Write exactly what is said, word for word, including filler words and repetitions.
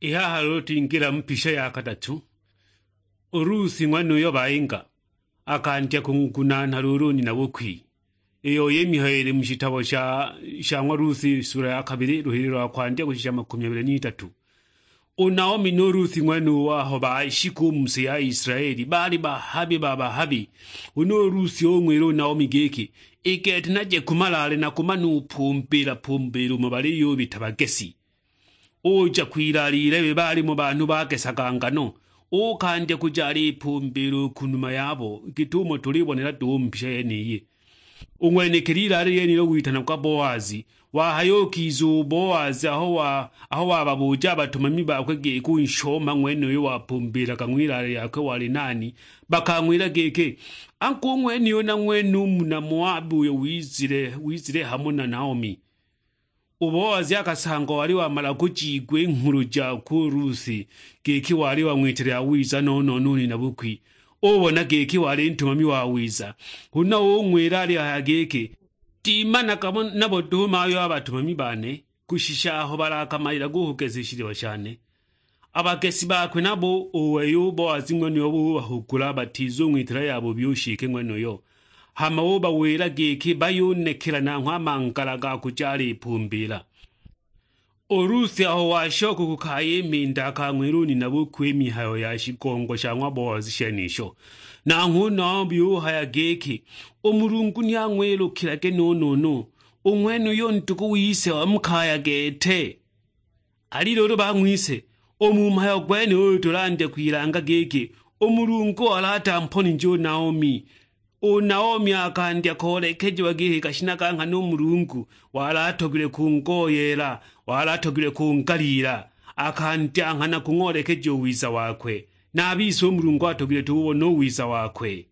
I haha luulu twingila mu pisha ya kadatu. U Rusi ng'wenuyo bayinga, akandya kungunaana luulu u nina bukwi. Iyo y'i mihayo ili mu shitabo sha, sha ng'wa Rusi, sula ya kabili, luhili lwa kwandya kushisha makumi abili n'itatu. U Naomi nu Rusi ng'wenuyo aho baashika u mu si ya Isilaeli, baali bahabi ba bahabi. Huna u Rusi ung'wila u Naomi giki, "I gete naje ku malaale na kumana upumbiila pumbiila umo baliyubita bagesi." Uja kwilaalila ibe baalimo banhu bagesaga ngano, ukandya kuja alipumbiila u ku numa yabo, git'umo tulibonela duhu mu mbisha yeniyi. U ng'wenekili ilaale lyenilo witanagwa Boazi. Wahaya ukiza u Boazi aho wa-, aho wababuja a batumami bakwe giki u nshoma ng'wenuyo wapumbiilaga ng'wilaale lyakwe wali nani, bakang'wila giki, "Angu u ng'wenuyo na ng'wene u muna Moabi uyo wizile, wizile hamo na Naomi." U Boazi akasangwa wali wamala kujiigwa i nghulu jakwe u Rusi, giki wali wang'witile yawiza no-no-no u nina bukwi. Ubona giki wali ntumami wawiza, huna ung'wila alihaya giki, "Timanaga mo nabo duhu mayo a batumami bane, kushisha aho balakamalilaga u kugesa i shiliwa shane." A bagesi bakwe nabo u wei u Boazi ng'wenuyo bubahugula batizung'witila yabubi u nshike ng'wenuyo. Hama ubawila giki bayunekela nanghwe a mangala ga kuja alipumbiila. U Rusi aho washoka ku kaya i mhindi akang'wila u nina bukwe i mihayo ya shigongo sha ng'wa Boazi shenisho. Nanghwe u Naomi uhaya giki, "U Mulungu ni ang'wilukilage no-no-no, u ng'wenuyo ndugu wise wa mu kaya gete." Ali luulu bang'wise, u mu mhayo gwenuyu tulandya kwilanga giki, u Mulungu wali atamponije u Naomi. U Naomi akandya koolekejiwa giki kashina ka nghana u Mulungu wali atogilwe kungoyeela, wali atogilwe kungaliila. Akandya nghana kung'oolekeja u wiza wakwe, na a bise u Mulungu atogilwe tububona u wiza wakwe.